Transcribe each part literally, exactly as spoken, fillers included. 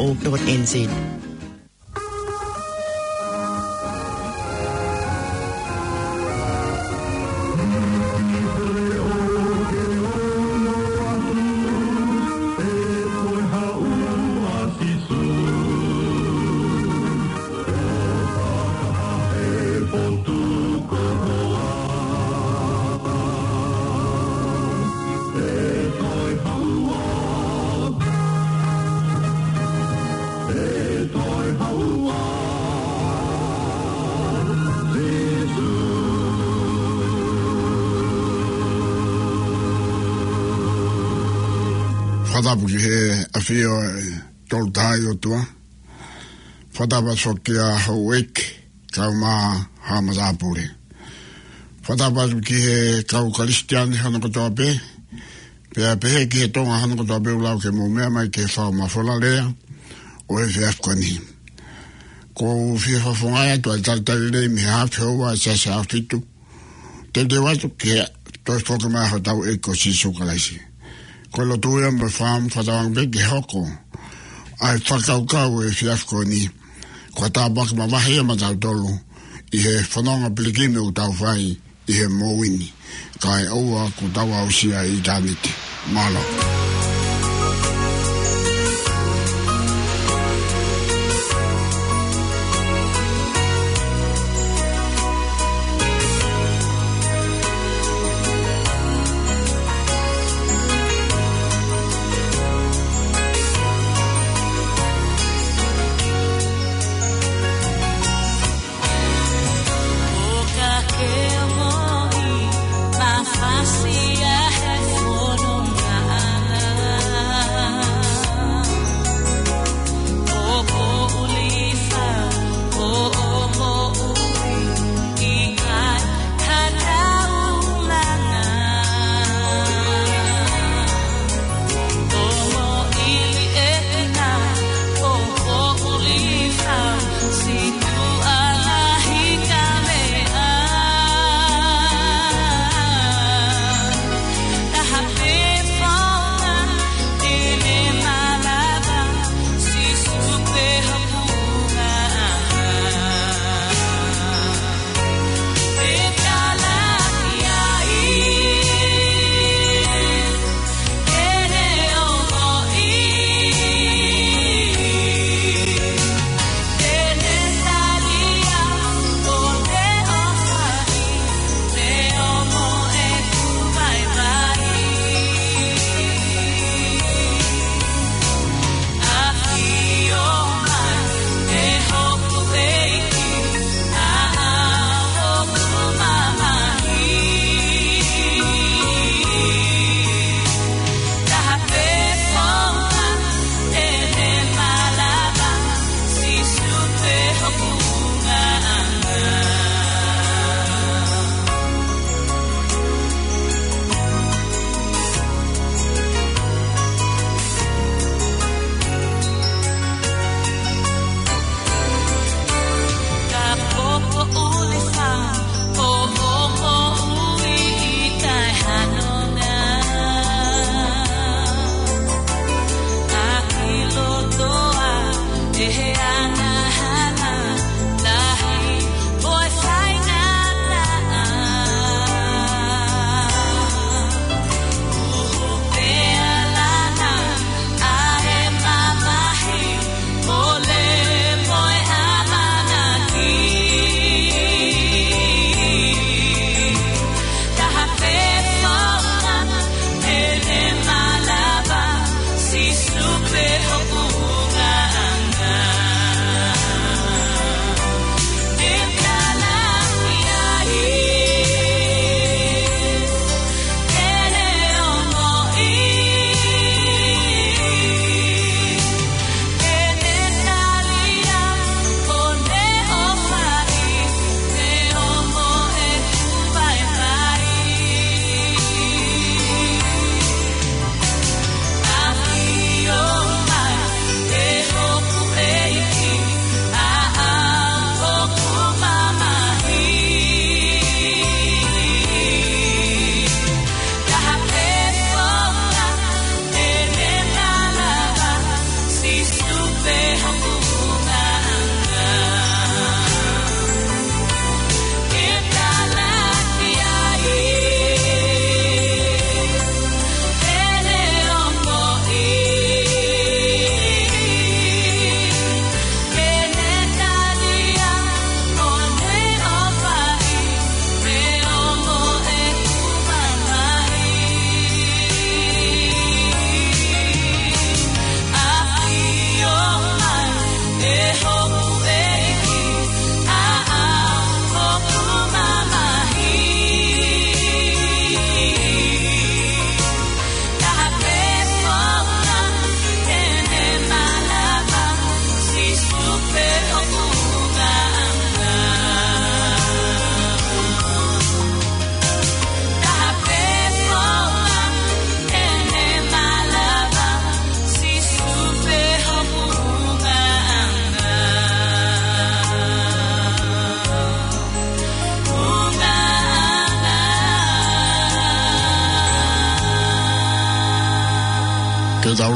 o dot N Z. Fakatapu ki he ʻafio ʻo e Tolu Tahaʻi ʻOtua. Fakatapu foki ki he houʻeiki, kau mai ha matāpule. Fakatapu ki he kau Kalisitiane hono kotoa pē, pea pehē ki he Tonga hono kotoa pē ʻoku lau ke mou meʻa mai ki he fao mafola lea ʻo e efiafi ko eni. ʻOku ou fie fakafofongaʻi atu ʻa e talitali lelei mei he hafe houa ʻa e Siasi ʻAhofitu, teuteu atu ki he toe foki mai hotau ʻEiki ko Sīsū Kalaisi. Ko e lotu ia mo e fakaʻamu fakatauange pē ke hoko ʻa e fakakaukau ʻo e efiafi ko eni ko ha tāpuaki mavahe ia maʻatautolu ʻi he fononga pilikimi ʻoku tau fai ʻi he moʻui ni, kae ʻoua kuo tau aʻusia ʻa ʻitāniti. Mālō.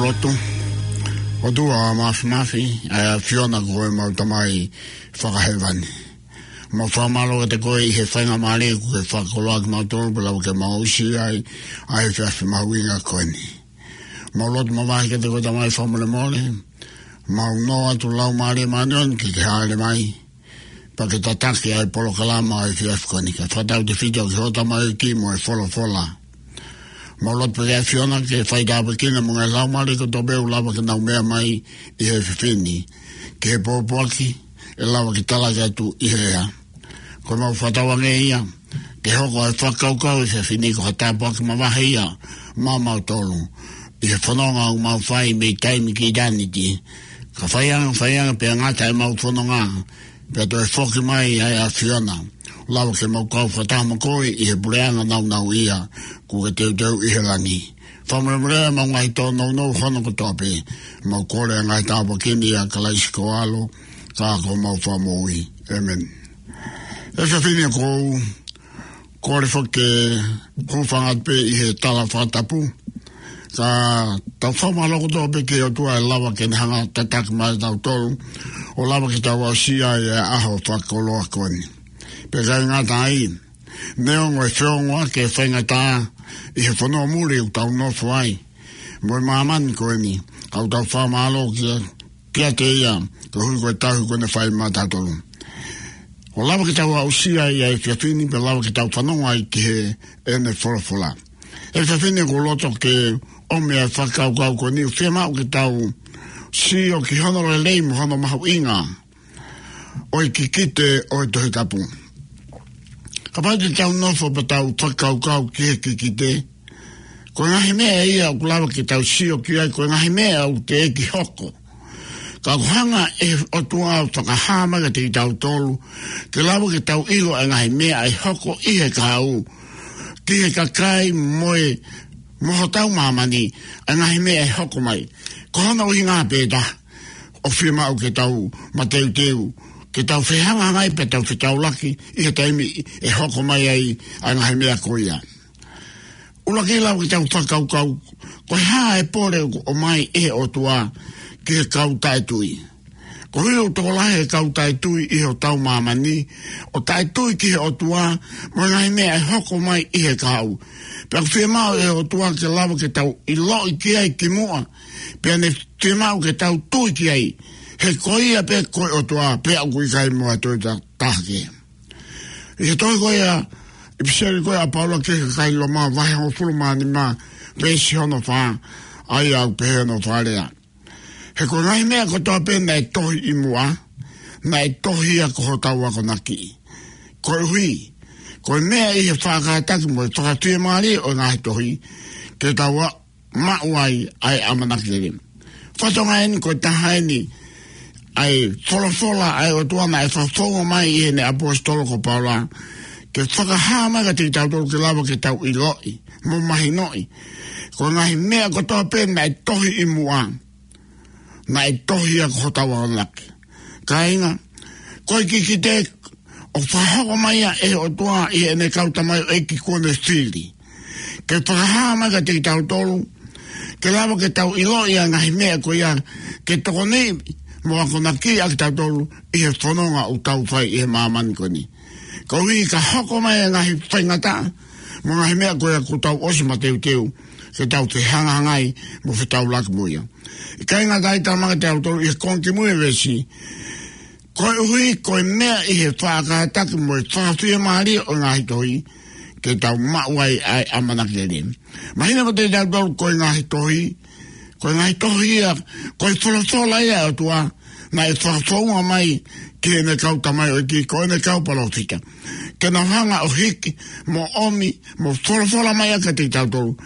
ʻOtua, ʻOtua Māfimafi, ʻa e ʻAfiona ko homau Tamai fakahēvani. Mau fakamālō kiate koe ʻi he faingamālie kuo ke fakakoloa kimautolu pea lava ke mau aʻusia ai ʻa e efiafi mahuʻinga ko eni. Mau lotu mavahe kiate koe Tamai fakamolemole. Mau nofo atu Laumālie Māʻoniʻoni ke ke hāʻele mai pea ke tataki ʻa e polokalama ʻo e efiafi ko eni, ke fakatautefito ki hoʻo tamaioʻeiki mo e folofola. Mau lotu pē ki he ʻAfiona ke fai tāpuekina mo e ngaahi laumālie kotoa pē ʻoku lava ke nau meʻa mai ʻi he efiafi ni, ki he pōpoaki ʻe lava ke talaki atu ʻi he ʻea. Ko ʻemau fakatauange ia ke hoko ʻa e fakakaukau ʻo e efiafi ni ko ha tāpuaki mavahe ia maʻamautolu ʻi he fononga ʻoku mau fai mei taimi ki ʻitāniti. Ka fai ange, fai ange pea ngata ʻemau fononga, pea toe foki mai ʻa e ʻAfiona, lava ke mau kau fakataha mo koe ʻi he puleʻanga nāunauʻia kuo ke teuteu ʻi he langi. Fakamolemole ʻemau ngaahi tōnounou hono kotoa pē. Mau kole ʻa e ngaahi tāpuaki ni ʻia Kalaisi ko ho ʻAlo, ka ko homau Fakamoʻui. ʻĒmeni. ʻE efiafi ni ʻoku ou kole foki ke hūfanga atu pē ʻi he tala fakatapu, ka tau fakamālō kotoa pē ki he ʻOtua ʻe lava ke ne hanga ʻo tataki mai kitautolu ʻo lava ke tau aʻusia ʻa e ʻaho fakakoloa ko eni. Pea ʻikai ngata ai, neongo e feongoʻaki e faingataʻa ʻi he fonua muli ʻoku tau nofo ai mo e māmani ko eni, ka ʻoku tau fakamālō kia, kiate ia koeʻuhi ko e tauhi kuo ne fai maʻatautolu ʻo lava ke tau aʻusia ʻa e efiafi ni pea lava ke tau fanongo ai ki heʻene folofola. ʻE efiafi ni ʻoku ou loto ke ʻomi ʻa e fakakaukau ko eni ʻoku fiemaʻu ke tau sio ki hono lelei mo hono mahuʻinga ʻo e kikite ʻo e Tohi Tapu. Kapau te tau nofo pea tau fakakaukau ki he kikite, ko e ngaahi meʻa ia ʻoku lava ke tau sio ki ai, ko e ngaahi meʻa ʻoku teʻeki hoko. Ka ʻoku hanga ʻe he ʻOtua ʻo fakahā mai kiate kitautolu ke lava ke tau ʻilo ʻa e ngaahi meʻa ʻe hoko ʻi he kahaʻu, ki he kakai mo e, mo hotau māmani, ʻa e ngaahi meʻa ʻe hoko mai. Ko hono ʻuhinga pē ʻe taha ʻoku fiemaʻu ke tau mateuteu, ke tau fehangahangai pea tau fetaulaki ʻi he taimi ʻe hoko mai ai ʻa e ngaahi meʻa ko ia. ʻUluaki, lava ke tau fakakaukau, ko e hā e pole ʻoku ʻomai ʻe he ʻOtua ki he kau taʻetui? Koeʻuhi ʻoku tokolahi e kau taʻetui ʻi hotau māmani ʻoku taʻetui ki he ʻOtua mo e ngaahi meʻa ʻe hoko mai ʻi he kahaʻu. Pea ʻoku fiemaʻu ʻe he ʻOtua ke lava ke tau ʻiloʻi ki ai kimuʻa, pea ne fiemaʻu ke tau tui ki ai, he ko ia pē ko e ʻOtua, pea ʻoku ʻikai mo ha toe ta-, taha kehe. ʻI he tohi ko ia, ʻipiseli ko ia ʻa Paula ki he kakai Loma, vahe hongofulu mā nima, veesi hono fā, ʻa ia ʻoku pehē hono fakalea: He ko e ngaahi meʻa kotoa pē naʻe tohi ʻi muʻa, naʻe tohi ia ko hotau akonaki. Koeʻuhi ko e meʻa ʻi he faʻa kātaki mo e fakafiemālie ʻo e ngaahi tohi, ke tau maʻu ai ʻa e ʻamanaki lelei. Fatongia eni ko e taha eni ʻa e folofola ʻa e ʻOtua naʻe fakafounga mai ʻe heʻene ʻaposetolo ko Paula, ke fakahā mai kiate kitautolu ke lava ke tau ʻiloʻi mo mahinoʻi, ko e ngaahi meʻa kotoa pē naʻe tohi ʻi muʻa, naʻe tohi ia ko hotau akonaki. Kāinga, ko e kikite ʻoku fakahoko mai ia ʻe he ʻOtua ʻi heʻene kau tamaioʻeiki kuo ne fili, ke fakahā mai kiate kitautolu, ke lava ke tau ʻiloʻi ʻa e ngaahi meʻa ko ia, ke tokoniʻi mo akonakiʻi ʻa kitautolu ʻi he fononga ʻoku tau fai ʻi he māmani ko eni. Koeʻuhi ka hoko mai e ngaahi faingataʻa mo e ngaahi meʻa ko ia, kuo tau ʻosi mateuteu ke tau fehangahangai mo fetaulaki mo ia. ʻIkai ngata ai, talamai kiate kitautolu ʻi he konga kimui e veesi, koeʻuhi ko e meʻa ʻi he faʻa kātaki mo e fakafiemālie ʻo e ngaahi tohi, ke tau maʻu ai ʻa e ʻamanaki lelei. Mahino kiate kitautolu ko e ngaahi tohi, ko e ngaahi tohi ia, ko e folofola ia ʻa e ʻOtua, naʻe fakafounga mai ki heʻene kau tamaioʻeiki, ko ʻene kau palōfita, ke nau hanga ʻo hiki mo ʻomi mo folofola mai ʻa kiate kitautolu,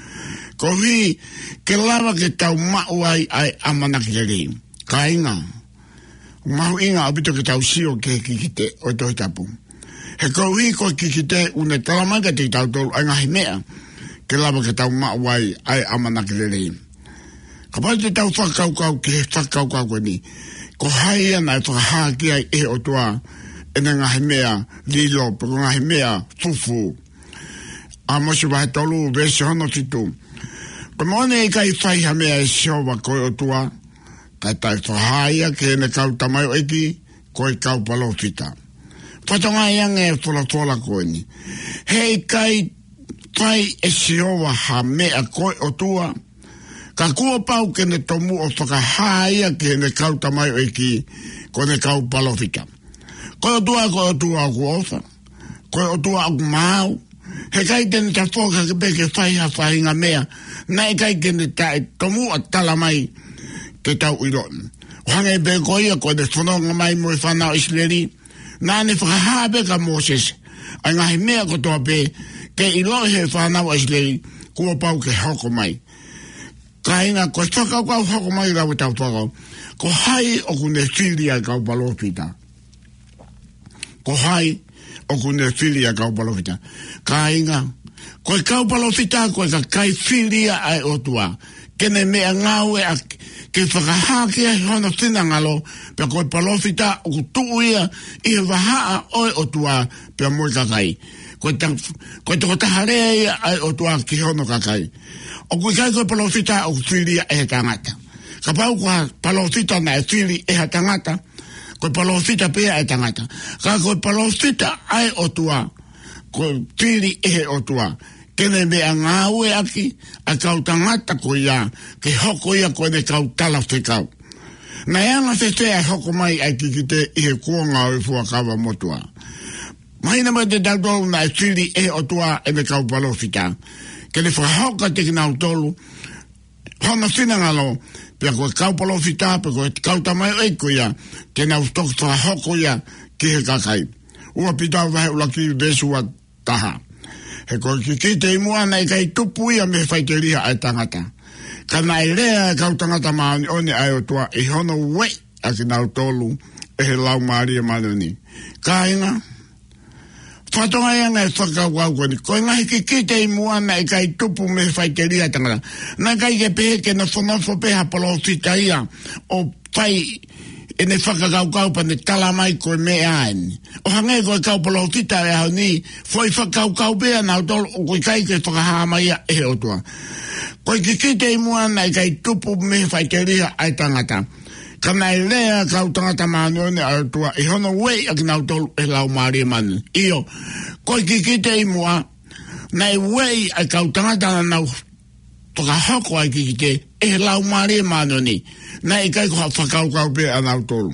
koeʻuhi ke lava ke tau maʻu ai ʻa e ʻamanaki lelei. Kāinga, mahuʻinga ʻaupito ke tau sio ki he kikite ʻo e Tohi Tapu. He koeʻuhi ko e kikite ʻoku ne talamai kiate kitautolu ʻa e ngaahi meʻa ke lava ke tau maʻu ai ʻa e ʻamanaki lelei. Kapau te tau fakakaukau ki he fakakaukau ko eni, ko hai ia naʻe fakahā ki ai ʻe he ʻOtua ʻene ngaahi meʻa lilo, pe ko e ngaahi meʻa fufū? ʻAmosi vahe tolu, veesi hono fitu. Ko e moʻoni ʻe ʻikai fai ha meʻa ʻe Sihova ko e ʻOtua, kae taʻe fakahā ia ki heʻene kau tamaioʻeiki, ko e kau palōfita. Fatongia ange e folofola ko eni. He ʻikai fai ʻe Sihova ha meʻa ko e ʻOtua, ka kuo pau ke ne tomuʻa fakahā ia ki heʻene kau tamaioʻeiki, ko ʻene kau palōfita. Ko e ʻOtua, ko e ʻOtua ʻoku ʻofa. Ko e ʻOtua ʻoku maau. He ʻikai te ne tafoki hake pē ke fai ha faʻahinga meʻa naʻe ʻikai ke ne taʻe tomuʻa tala mai ke tau ʻilo. ʻO hangē pē ko ia ko ʻene fononga mai mo e fānau ʻIsileli, naʻa ne fakahā pē kia Mōsese ʻa e ngaahi meʻa kotoa pē ke ʻiloʻi ʻe he fānau ʻIsileli kuo pau ke hoko mai. Kāinga, ko e fakakaukau hoko mai lau e tau fakakaukau. Ko hai ʻoku ne fili ʻa e kau palōfita? Ko hai ʻoku ne fili ʻa e kau palōfita? Kāinga, ko e kau palōfita ko e kakai fili ia ʻa e ʻOtua ke ne meʻangāueʻaki, ke fakahā ki ai hono finangalo, pea ko e palōfita ʻoku tuʻu ia ʻi he vahaʻa ʻo e ʻOtua pea mo e kakai. Ko e ta-, ko e tokotaha lea ia ʻa e ʻOtua ki hono kakai. ʻOku ʻikai ko e palōfita ʻoku fili ia ʻe he tangata. Kapau ko ha palōfita naʻe fili ʻe ha tangata, ko e palōfita pē ia ʻa e tangata. Ka ko e palōfita ʻa e ʻOtua, ko e fili ʻe he ʻOtua ke ne meʻangāueʻaki ʻa e kau tangata ko ia ke hoko ia ko ʻene kau talafekau. Naʻe anga fēfē ʻa e hoko mai ʻa e kikite ʻi he kuonga ʻo e fuakava motuʻa? Mahino mai kiate kitautolu naʻe fili ʻe he ʻOtua ʻene kau palōfita ke ne fakahoko kiate kinautolu hono finangalo, pea ko e kau palōfita, pea ko e kau tamaioʻeiki ko ia, te nau toki fakahoko ia ki he kakai. Ua Pita vahe ʻuluaki veesi ua taha. He ko e kikite ʻi muʻa naʻe ʻikai tupu ia mei he faʻiteliha ʻa e tangata, ka naʻe lea ʻa e kau tangata māʻoniʻoni ʻa e ʻOtua ʻi hono ueʻi ʻa kinautolu ʻe he Laumālie Māʻoniʻoni. Kāinga, fatongia ange e fakakaukau ko eni. Ko e ngaahi kikite ʻi muʻa naʻe ʻikai tupu mei he faʻiteliha ʻa e tangata. Naʻe ʻikai ke pehē ke nofonofo pē ha palōfita ia ʻo fai ʻene fakakaukau pea ne tala mai ko e meʻa eni. ʻO hangē ko e kau palōfita ʻo e ʻaho ni, foʻi fakakaukau pē ʻanautolu ʻoku ʻikai ke fakahā mai ia ʻe he ʻOtua. Ko e kikite ʻi muʻa naʻe ʻikai tupu mei he faʻiteliha ʻa e tangata, ka naʻe lea ʻa e kau tangata māʻoniʻoni ʻa e ʻOtua ʻi hono ueʻi ʻa kinautolu ʻe he Laumālie Māʻoniʻoni. ʻIo, ko e kikite ʻi muʻa naʻe ueʻi ʻa e kau tangata naʻa nau fakahoko ʻa e kikite ʻe he Laumālie Māʻoniʻoni. Naʻe ʻikai ko ha fakakaukau pē ʻanautolu.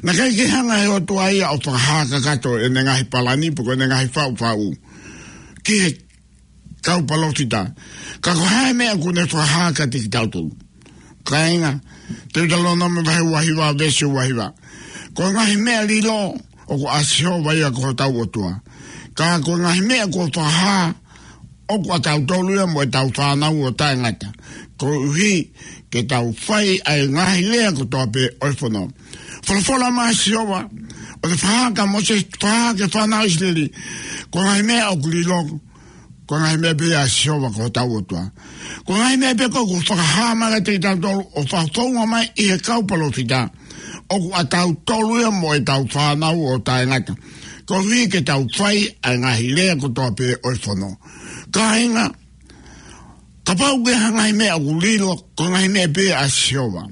Naʻe ʻikai ke hanga ʻe he ʻOtua ia ʻo fakahā kakato ʻene ngaahi palani pe ko ʻene ngaahi faʻufaʻu ki he kau palōfita. Ka ko e hā e meʻa ʻoku ne fakahā kiate kitautolu? Kāinga, Teutalōnome vahe ua hiva veesi ua hiva. Ko e ngaahi meʻa lilo ʻoku ʻa Sihova ia ko hotau ʻOtua. Ka ko e ngaahi meʻa kuo fakahā ʻoku ʻatautolu ia mo ʻetau fānau ʻo taʻengata, koeʻuhi ke tau fai ʻa e ngaahi lea kotoa pē ʻo e fono. Folofola mai ʻa Sihova, ʻo ne fakahā kia Mōsese, fakahā ki he fānau ʻIsileli, ko e ngaahi meʻa ʻoku lilo, ko e ngaahi meʻa pē ia ʻa Sihova ko hotau ʻOtua. Ko e ngaahi meʻa pē ko ē kuo fakahā mai kiate kitautolu ʻo fakafounga mai ʻi he kau palōfita, ʻoku ʻatautolu ia mo ʻetau fānau ʻo taʻengata, koeʻuhi ke tau fai ʻa e ngaahi lea kotoa pē ʻo e fono. Kāinga, kapau ko e ngaahi meʻa ʻoku lilo, ko e ngaahi meʻa pē ia ʻa Sihova.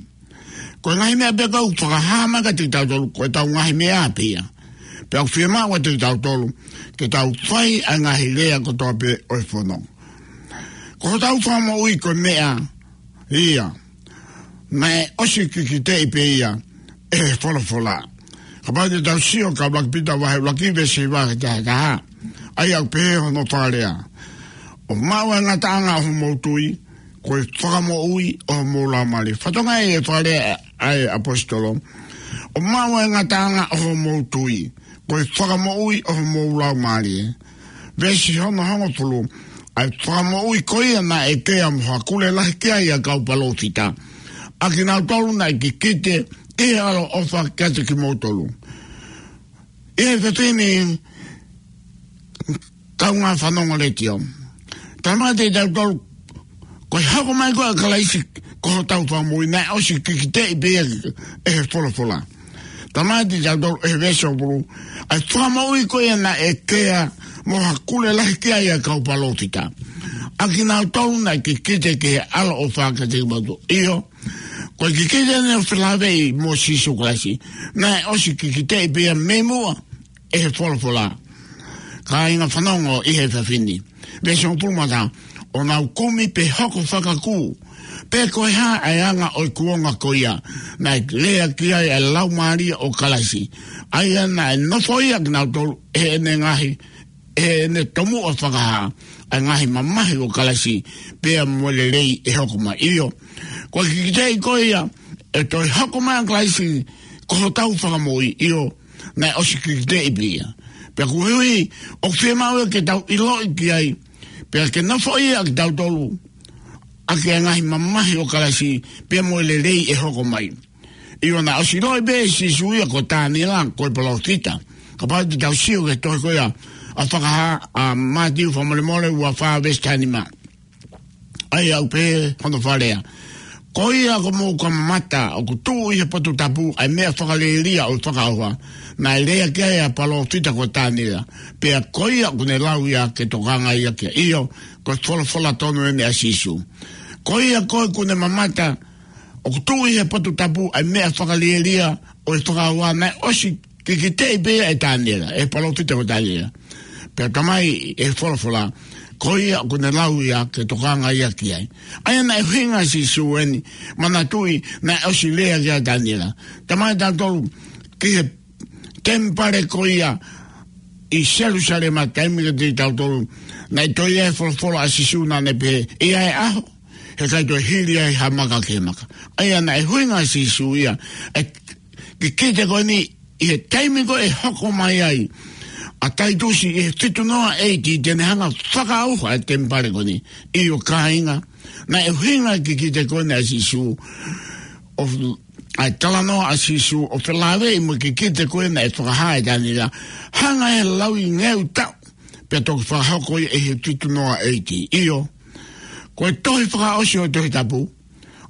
Ko e ngaahi meʻa pē ʻoku fakahā mai kiate kitautolu, ko ʻetau ngaahi meʻa pē ia. Pea ʻoku fiemaʻu kiate kitautolu ke tau fai ʻa e ngaahi lea kotoa pē ʻo e fono. Ko hotau fakamoʻui ko e meʻa ia naʻe ʻosi kikiteʻi pē ia ʻe he folofola. Kapau te tau sio ki he ʻuluaki Pita vahe ʻuluaki veesi hiva ki he taha taha, ʻa ia ʻoku pehē hono fakalea: ʻO maʻu ʻa e ngataʻanga ʻo homou tui, ko e fakamoʻui ʻo homou laumālie. Fatongia e fakalea ʻa e ʻaposetolo: ʻO maʻu ʻa e ngataʻanga ʻo homou tui, ko e fakamoʻui ʻo homou laumālie. Veesi hono hongofulu: ʻA e fakamoʻui ko ia naʻe ʻekea mo hakule lahi ki ai ʻa e kau palōfita, ʻa kinautolu naʻe kikite ʻi he ʻaloʻofa kiate kimoutolu. ʻI he fefine kaungā fanongo letiō, tala mai kiate kitautolu, ko e hoko mai ko ē ʻa Kalaisi ko hotau fakamoʻui, naʻe ʻosi kikiteʻi pē ia ʻe he folofola. Tala mai kiate kitautolu ʻe he veesi hongofulu, ʻa e fakamoʻui ko ia naʻe ʻekea mo hakule lahi ki ai ʻa e kau palōfita, ʻa kinautolu naʻe kikite ki he ʻAlo ʻo e ʻOfa kiate kimautolu. ʻIo, ko e kikite ʻeni ʻo felāveʻi mo Sīsū Kalaisi, naʻe ʻosi kikiteʻi pē ia mei muʻa ʻe he folofola. Kāinga, fanongo ʻi he efiafi ni. Veesi hongofulu mā taha: ʻO nau kumi pe hoko fakakū, pe ko e hā ʻa e anga ʻo e kuonga ko ia naʻe lea ki ai ʻa e Laumālie ʻo Kalaisi, ʻa ia naʻe nofoʻia kinautolu ʻe heʻene ngaahi, ʻe heʻene tomuʻa fakahā ʻa e ngaahi mamahi ʻo Kalaisi, pea mo e lelei ʻe hoko mai. ʻIo, ko e kikiteʻi ko ia ʻe toe hoko mai ʻa Kalaisi ko hotau Fakamoʻui. ʻIo, naʻe ʻosi kikiteʻi pē ia. Pea koeʻuhi ʻoku fiemaʻu ia ke tau ʻiloʻi ki ai, pea ke nofoʻia kitautolu ʻaki ʻa e ngaahi mamahi ʻo Kalaisi, pea mo e lelei ʻe hoko mai. ʻIo, naʻe ʻosi ʻiloʻi pē ʻe Sīsū ia ko Taniela, ko e palōfita. Kapau te tau sio ki he tohi ko ia ʻa Fakahā, ʻa Mātiu, fakamolemole, ua fā veesi taha nima. ʻA ia ʻoku pehē hono fakalea: Ko ia ʻoku mou kamata, ʻoku tuʻu ʻi he potu tapu ʻa e meʻa fakalielia ʻo e fakaʻauha, naʻe lea ki ai ʻa e palōfita ko Taniela, pea ko ia ʻoku ne lau ia ke tokanga ia ki ai. ʻIo, ko e folofola tonu ʻeni ʻa Sīsū. Ko ia koe ʻoku ne mamata, ʻoku tuʻu ʻi he potu tapu ʻa e meʻa fakalielia ʻo e fakaʻauha, naʻe ʻosi kikiteʻi pē ia ʻe Taniela, ʻe he palōfita ko Taniela. Pea talamai ʻe he folofola, ko ia ʻoku ne lau ia ke tokanga ia ki ai. ʻA ia naʻe ʻuhinga ʻa Sīsū ʻeni, manatuʻi naʻe ʻosi lea ki ai ʻa Taniela. Talamai ʻe tautolu ki he temipale ko ia ʻi Selusalema, taimi kiate kitautolu, naʻe toe ʻi ai e folofola ʻa Sīsū naʻa ne pehē, ʻe ʻi ai e ʻaho, he ʻikai toe hili ai ha maka ki he maka. ʻA ia naʻe ʻuhinga ʻa Sīsū ia ʻa e kikite ko ʻeni ʻi he taimi ko ē ʻe hoko mai ai ʻa Taitusi ʻi he fitu noa A.D., te ne hanga ʻo fakaʻauha e temipale ko ʻeni. ʻIo kāinga, naʻe ʻuhinga e kikite ko ʻeni ʻa Sīsū, ʻo, ʻa e talanoa ʻa Sīsū ʻo felāveʻi mo e kikite ko ē naʻe fakahā ʻe Taniela, hanga ʻe he lau ʻi ngeu taʻu, pea toki fakahoko ia ʻi he fitu noa A.D. ʻIo, ko e tohi fakaʻosi ʻo e Tohi Tapu,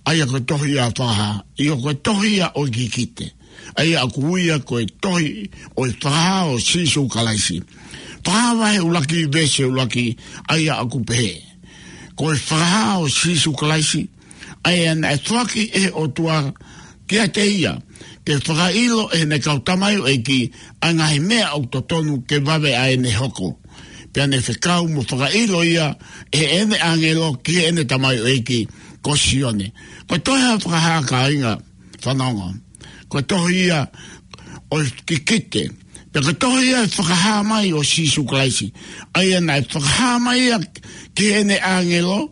ʻa ia ko e tohi ia ʻo e Fakahā. ʻIo, ko e tohi ia ʻo e kikite, ʻa ia ʻoku ui ia ko e tohi ʻo e Fakahā ʻo Sīsū Kalaisi. Fakahā vahe ʻuluaki veesi ʻuluaki, ʻa ia ʻoku pehē: Ko e Fakahā ʻo Sīsū Kalaisi, ʻa ia naʻe foaki ʻe he ʻOtua kiate ia, ke fakaʻilo ʻe heʻene kau tamaioʻeiki ʻa e ngaahi meʻa ʻoku totonu ke vave ʻa ʻene hoko. Pea ne fekau mo fakaʻilo ia ʻe heʻene ʻāngelo ki heʻene tamaioʻeiki ko Sione. Ko e tohi ʻa e Fakahā, kāinga, fanongo, ko e tohi ia ʻo e kikite, pea ko e tohi ia ʻo e fakahā mai ʻo Sīsū Kalaisi, ʻa ia naʻe fakahā mai ia ki heʻene ʻāngelo,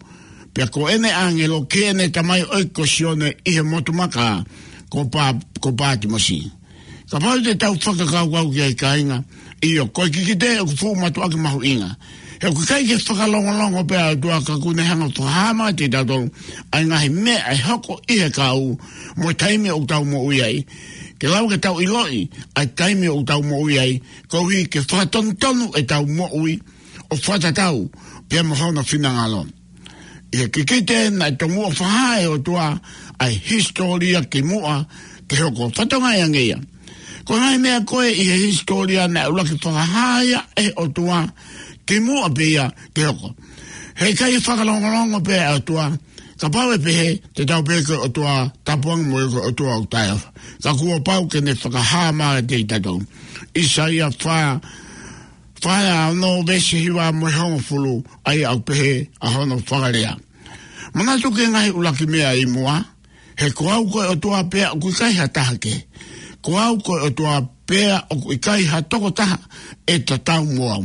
pea ko ʻene ʻāngelo ki heʻene tamaioʻeiki ko Sione ʻi he motu maka ko Pa-, ko Pātimosi. Kapau te tau fakakaukau ki ai, kāinga, ʻio, ko e kikite ʻoku fuʻu mātuʻaki mahuʻinga. He ʻoku ʻikai ke fakalongolongo pē ʻa e ʻOtua ka ʻoku ne hanga ʻo fakahā mai kiate kitautolu ʻa e ngaahi meʻa ʻe hoko ʻi he kahaʻu mo e taimi ʻoku tau moʻui ai. Ke lava ke tau ʻiloʻi ʻa e taimi ʻoku tau moʻui ai, koeʻuhi ke fakatonutonu ʻetau moʻui ʻo fakatatau pea mo hono finangalo. ʻI he kikite naʻe tomuʻa fakahā ʻe he ʻOtua ʻa e hisitōlia kimuʻa ke hoko. Fakatokangaʻi ange ia. Ko e ngaahi meʻa ko ē ʻi he hisitōlia naʻe ʻuluaki fakahā ia ʻe he ʻOtua kimuʻa pē ia ke hoko. He ʻikai fakalongolongo pē ʻa e ʻOtua, kapau ʻe pehē, te tau pehē ko e ʻOtua tāpuaki mo e ko e ʻOtua ʻoku taʻeʻofa. Ka kuo pau ke ne fakahā mai kiate kitautolu. ʻAisea fā, fā ono veesi hiva mo e hongofulu, ʻa ia ʻoku pehē ʻa hono fakalea: Manatu ki he ngaahi ʻuluaki meʻa ʻi muʻa, he ko au ko e ʻOtua pea ʻoku ʻikai ha taha kehe. Ko au ko e ʻOtua pea ʻoku ʻikai ha tokotaha ʻe tatau mo au.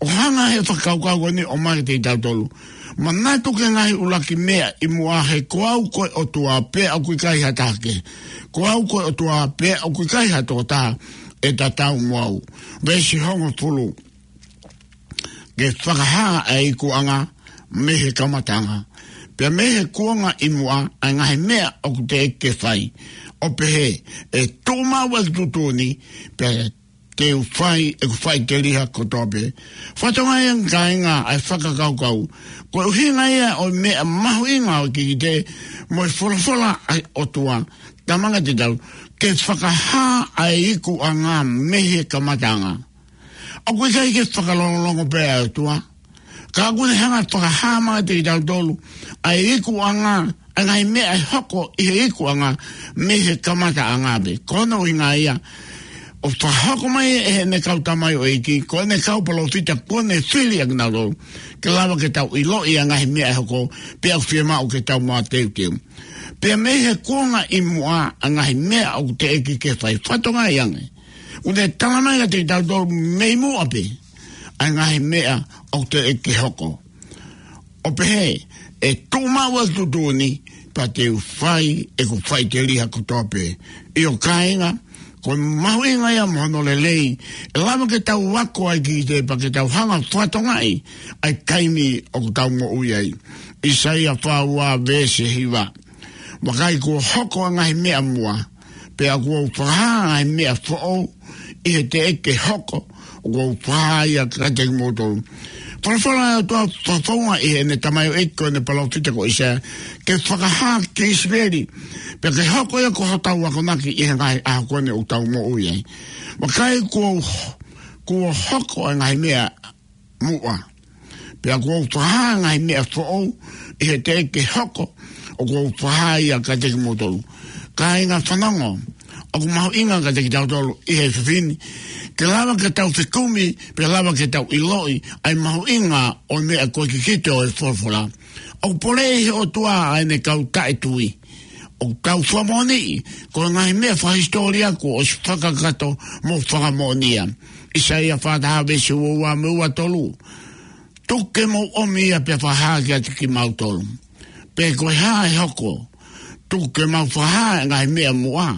ʻOku hanga ʻe he fakakaukau ko ʻeni ʻo ʻomai kiate kitautolu: Manatu ki he ngaahi ʻuluaki meʻa ʻi muʻa, he ko au ko e ʻOtua pea ʻoku ʻikai ha taha kehe. Ko au ko e ʻOtua pea ʻoku ʻikai ha tokotaha ʻe tatau mo au. Veesi hongofulu: Ke fakahā ʻa e ikuʻanga mei he kamataʻanga, pea mei he kuonga ʻi muʻa, ʻa e ngaahi meʻa ʻoku teʻeki ke fai, ʻo pehē, ʻe tuʻu maʻu ʻeku tuʻutuʻuni, pea te u fai ʻeku faʻiteliha kotoa pē. Fakatokangaʻi ange, kāinga, ʻa e fakakaukau. Ko e ʻuhinga ia ʻo e meʻa mahuʻinga ʻo e kikite mo e folofola ʻa e ʻOtua, talamai kiate kitautolu ke fakahā ʻa e ikuʻanga mei he kamataʻanga. ʻOku ʻikai ke fakalongolongo pē ʻa e ʻOtua. Ka ʻoku ne hanga ʻo fakahā mai kiate kitautolu ʻa e ikuʻanga, ʻa e ngaahi meʻa ʻe hoko ʻi he ikuʻanga mei he kamataʻanga pē. Ko hono ʻuhinga ia, ʻoku fakahoko mai ʻe heʻene kau tamaioʻeiki, ko ʻene kau palōfita, kuo ne fili ʻa kinautolu, ke lava ke tau ʻiloʻi ʻa e ngaahi meʻa ʻe hoko, pea ʻoku fiemaʻu ke tau mateuteu. Pea mei he kuonga ʻi muʻa ʻa e ngaahi meʻa ʻoku teʻeki ke fai, fakatokangaʻi ange, ʻoku ne tala mai kiate kitautolu mei muʻa pē ʻa e ngaahi meʻa ʻoku teʻeki ke hoko. ʻO pehē, ʻe tuʻu maʻu ʻa e tuʻutuʻuni, pea te u fai ʻeku faʻiteliha kotoa pē. ʻIo kāinga, ko e mahuʻinga ia mo hono lelei, ʻe lava ke tau ako ai ki te pea ke tau hanga ʻo fakatokangaʻi ʻa e taimi ʻoku tau moʻui ai. ʻAisea fā ua veesi hiva. Vakai, kuo hoko ʻa e ngaahi meʻa muʻa, pea kuo u fakahā ʻa e ngaahi meʻa foʻou, ʻi he teʻeki ke hoko, ʻoku ou fakahā ia kiate kimoutolu. Folofola ʻa e ʻOtua fakafounga ʻi heʻene tamaioʻeiki ko ʻene palōfita ko ʻAisea, ke fakahā ki ʻIsileli, pea ke hoko ia ko hotau akonaki ʻi he ngaahi ʻaho ko eni ʻoku tau moʻui ai. Vakai, kuo, kuo hoko ʻa e ngaahi meʻa muʻa, pea kuo u fakahā ʻa e ngaahi meʻa foʻou, ʻi he teʻeki ke hoko, ʻoku ou fakahā ia kiate kimoutolu. Kāinga, fanongo, ʻoku mahuʻinga kiate kitautolu ʻi he efiafi ni, ke lava ke tau fekumi, pea lava ke tau ʻiloʻi ʻa e mahuʻinga ʻo e meʻa ko e kikite ʻo e folofola. ʻOku poleʻi ʻe he ʻOtua ʻa ʻene kau taʻetui. ʻOku tau fakamoʻoniʻi, ko e ngaahi meʻa fakahisitōlia kuo ʻosi fakakakato mo fakamoʻoni ia. ʻAisea fā taha veesi ua ua mo e ua tolu. Tuku ke mou ʻomi ia pea fakahā kiate kimautolu. Pe ko e hā ʻe hoko, tuku ke mau fakahā ʻa e ngaahi meʻa muʻa.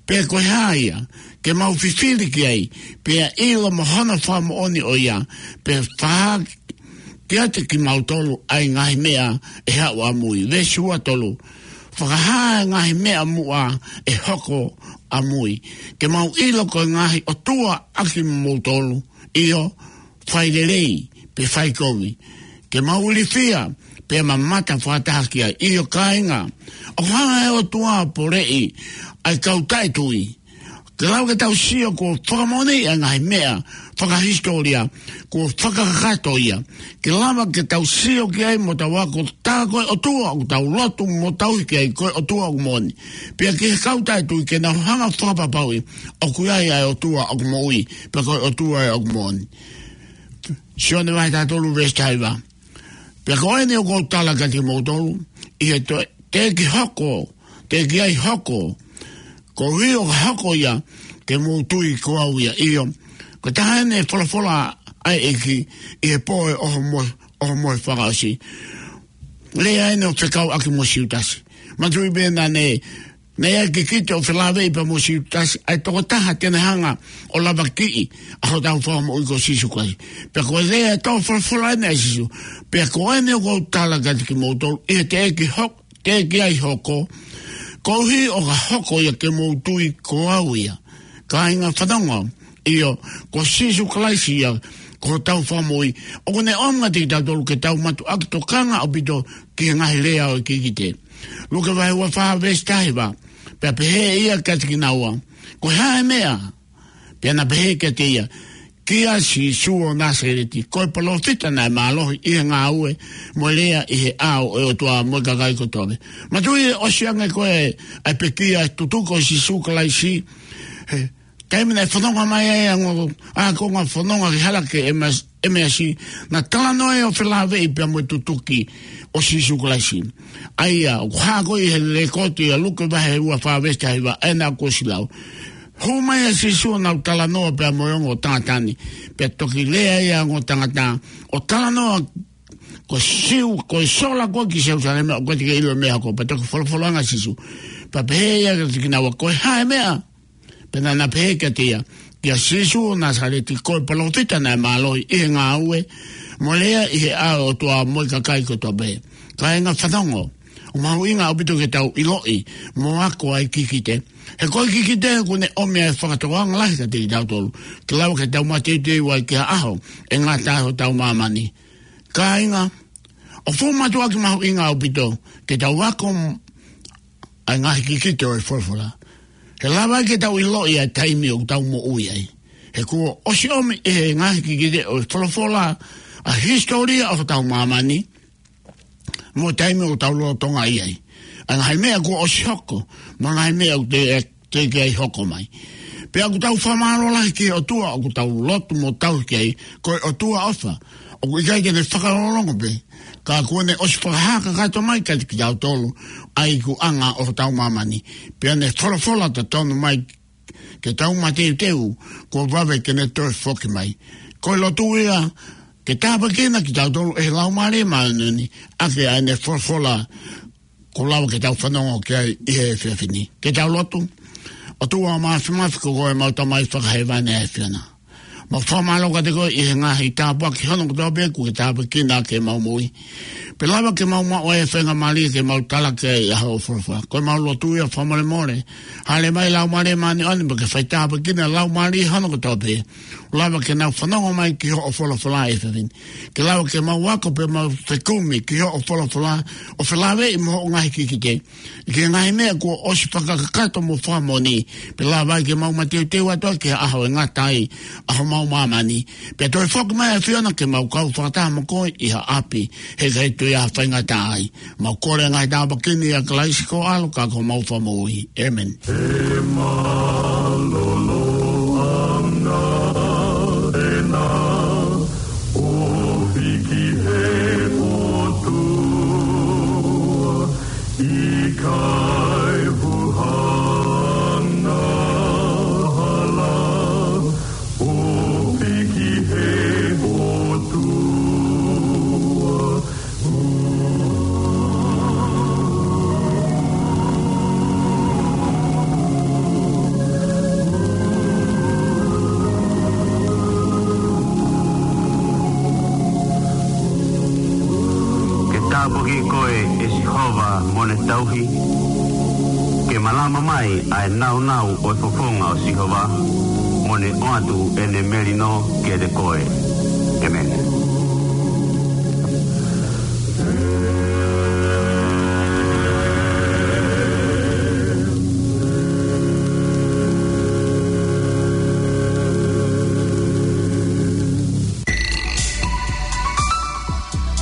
Pe ko e hā ia, ke mau fifili ki ai, pea ʻilo mo hono fakamoʻoni ʻo ia, pea fakahā kiate kimautolu ʻa e ngaahi meʻa ʻe haʻu ʻamui. Veesi ua tolu. Fakahā ʻa e ngaahi meʻa muʻa ʻe hoko ʻamui, ke mau ʻilo ko e ngaahi ʻotua ʻa kimoutolu, ʻio, fai lelei pe fai kovi, ke mau ilifia pea mamata fakataha ki ai. ʻIo kāinga, ʻoku hanga ʻe he ʻOtua ʻo poleʻi ʻa e kau taʻetui, ke lava ke tau sio kuo fakamoʻoniʻi ʻa e ngaahi meʻa fakahisitōlia kuo fakakakato ia, ke lava ke tau sio ki ai mo tau ako, tā ko e ʻOtua ʻoku tau lotu mo tauhi ki ai ko e ʻOtua ʻoku moʻoni. Pea ki he kau taʻetui ke nau hanga ʻo fakapapauʻi ʻoku ʻi ai ʻa e ʻOtua ʻoku moʻui, pea ko e ʻOtua ʻoku moʻoni. Sione vahe taha tolu veesi taha hiva. Pea ko eni ʻoku ou tala kiate kimoutolu, ʻi he toe, teʻeki hoko, teʻeki ai hoko, koeʻuhi ʻoka hoko ia, ke mou tui ko au ia. ʻIo, ko e taha eni e folofola ʻa e ʻEiki ʻi he pō ʻo e ʻohomohe, ʻohomohe fakaʻosi. Lea eni ʻo fekauʻaki mo Siutasi. Manatuʻi pē naʻa ne, naʻe ʻi ai e kikite ʻo felāveʻi pea mo Siutasi, ʻa e tokotaha te ne hanga ʻo lavakiʻi ʻa hotau Fakamoʻui ko Sīsū Kalaisi. Pea ko e lea ʻe tō folofola eni ʻa Sīsū. Pea ko eni ʻoku ou tala kiate kimoutolu, ʻi he teʻeki hoko, teʻeki ai hoko, koeʻuhi ʻoka hoko ia ke mou tui ko au ia. Kāinga, fanongo, ʻio, ko Sīsū Kalaisi ia, ko hotau Fakamoʻui. ʻOku ne ʻomi kiate kitautolu ke tau mātuʻaki tokanga ʻaupito ki he ngaahi lea ʻo e kikite. Luke vahe ua fā veesi taha hiva. Pea pehē ʻe ia kiate kinaua, ko e hā e meʻa? Pea na pehē kiate ia, kia Sīsū ʻo Nāsaleti, ko e palōfita naʻe mālohi ʻi he ngāue mo e lea ʻi he ʻao ʻo e ʻOtua mo e kakai kotoa pē. Manatuʻi ʻosi ange ko e, ʻa e pekia e tutuki ʻo Sīsū Kalaisi, he taimi naʻe fononga mai ai ʻa e ongo ākonga fononga ki he hala ko ʻEmas-, ʻEmeasi, naʻe talanoa ʻo felāveʻi pea mo e tutuki ʻo Sīsū Kalaisi. ʻA ia, ʻoku hā ko ē ʻi he lēkooti ʻa Luke vahe ua fā veesi taha hiva, ʻa ia naʻa ku ʻosi lau. Hū mai ʻa Sīsū ʻo nau talanoa pea mo e ongo tangata ni. Pea toki lea ʻa e ongo tangata, ʻo talanoa, ko Siu, ko e sola ko ē ki Selusalema, ʻoku ʻikai te ke ʻilo e meʻa ko ē, pea toki folofola ange ʻa Sīsū. Pea pehē ʻe ia kiate kinaua, ko e hā e meʻa? Pea naʻa na pehē kiate ia, kia Sīsū ʻo Nāsaleti, ko e palōfita naʻe mālohi ʻi he ngāue mo e lea ʻi he ʻao ʻo e ʻOtua mo e kakai kotoa pē. Kāinga, fanongo, ʻoku mahuʻinga ʻaupito ke tau ʻiloʻi mo ako ʻa e kikite. He ko e kikite ʻoku ne ʻomi ʻa e fakatokanga lahi kiate kitautolu, ke lava ke tau mateuteu ai ki ha ʻaho ʻe ngata ai hotau māmani. Kāinga, ʻoku fuʻu mātuʻaki mahuʻinga ʻaupito ke tau ako ʻa e ngaahi kikite ʻo e folofola. He lava ke tau ʻiloʻi ʻa e taimi ʻoku tau moʻui ai. He kuo ʻosi ʻomi ʻe he ngaahi kikite ʻo e folofola ʻa e hisitōlia ʻo hotau māmani, mo e taimi ʻoku tau lolotonga ʻi ai. ʻA e ngaahi meʻa kuo ʻosi hoko, mo e ngaahi meʻa ʻoku te, teʻeki ai hoko mai. Pea ʻoku tau fakamālō lahi ki he ʻOtua ʻoku tau lotu mo tauhi ki ai, ko e ʻOtua ʻofa. ʻOku ʻikai ke ne fakalongolongo pē, ka kuo ne ʻosi fakahā kakato mai kiate kitautolu ʻa e ikuʻanga ʻo hotau māmani. Pea ne folofola totonu mai ke tau mateuteu, kuo vave ke ne toe foki mai. Ko e lotu ia, ke tāpuekina kitautolu ʻe he Laumālie Māʻoniʻoni, ʻaki ʻa ʻene folofola kuo lava ke tau fanongo ki ai ʻi he efiafi ni. Ke tau lotu. ʻOtua Māfimafi, ko koe ʻemau Tamai fakahēvani ʻa e ʻAfiona. Mau fakamālō kiate koe ʻi he ngaahi tāpuaki hono kotoa pē kuo ke tāpuekina ʻaki ʻemau moʻui. Pea lava ke mau maʻu ʻa e faingamālie ke mau talaki ʻa hoʻo folofola. Ko ʻemau lotu ia fakamolemole. Hāʻele mai Laumālie Māʻoniʻoni mo ke fai tāpuekina Laumālie hono kotoa pē. Lava ke nau fanongo mai ki hoʻo folofola ʻi he efiafi ni. Ke lava ke mau ako pea mau fekumi ki hoʻo folofola ʻo felāveʻi mo hoʻo ngaahi kikite. Ki he ngaahi meʻa kuo ʻosi fakakakato mo fakamoʻoni, pea lava ai ke mau mateuteu atu ki he ʻaho ʻe ngata ai ʻa homau māmani. Pea toe foki mai ʻa e ʻAfiona ke mau kau fakataha mo koe ʻi ha ʻapi, heʻikai toe ʻi ai ha faingataʻa ai. Mau kole ngaahi tāpuaki ni ʻia Kalaisi ko ho ʻAlo ka ko homau Fakamoʻui. ʻĒmeni. ʻE mālōlō ʻa e ngāue ʻa e ʻOtua, ʻikai fuʻu angahala ʻa e ʻOtua. Ke tāpuakiʻi koe ʻe Sihova mo ʻene tauhi. Ke malama mai ʻa e nāunau ʻo e fofonga ʻo Sihova, mo ne ʻoatu ʻene melino kiate koe. ʻĒmeni.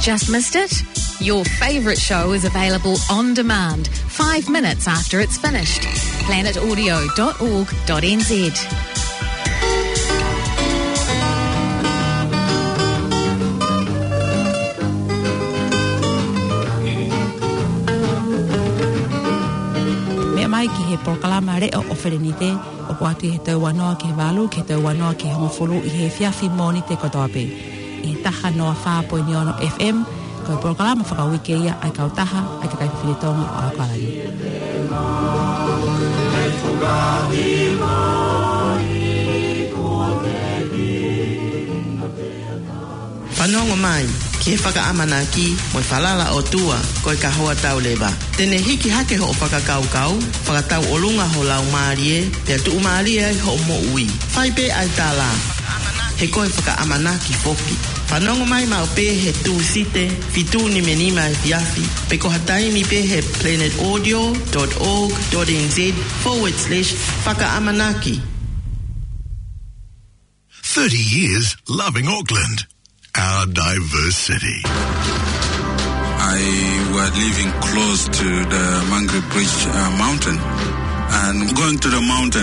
Just missed it? Your favourite show is available on demand, five minutes after it's finished. Planet audio dot org dot N Z. Meʻa mai ki he polokalama leʻo ʻo Felenite, ʻoku ʻoatu ʻi he tau ua noa ki he valu, ki he tau ua noa ki he hongofulu ʻi he efiafi Mōnite kotoa pē. ʻI he taha noa fā poini ono F M, ko e polokalama fakauike ia ʻa e Kautaha ʻa e Kakai Fefine Tonga ʻo ʻAokalani. Fanongo mai ki he fakaʻamanaki mo e falala ʻOtua ko e kahoa tau leva. Te ne hiki hake hoʻo fakakaukau, fakatauʻolunga ho laumālie, pea tuʻumālie ai hoʻo moʻui. Fai pē ʻa e tala, he ko e fakaʻamanaki foki. Fanongo mai maʻu pē he Tūsite, fitu nimanima efiafi, pe ko ha taimi pē he planet audio dot org dot N Z forward slash fakaʻamanaki. Thirty years loving Auckland, our diverse city. I was living close to the Mangere Bridge, uh, mountain, and going to the mountain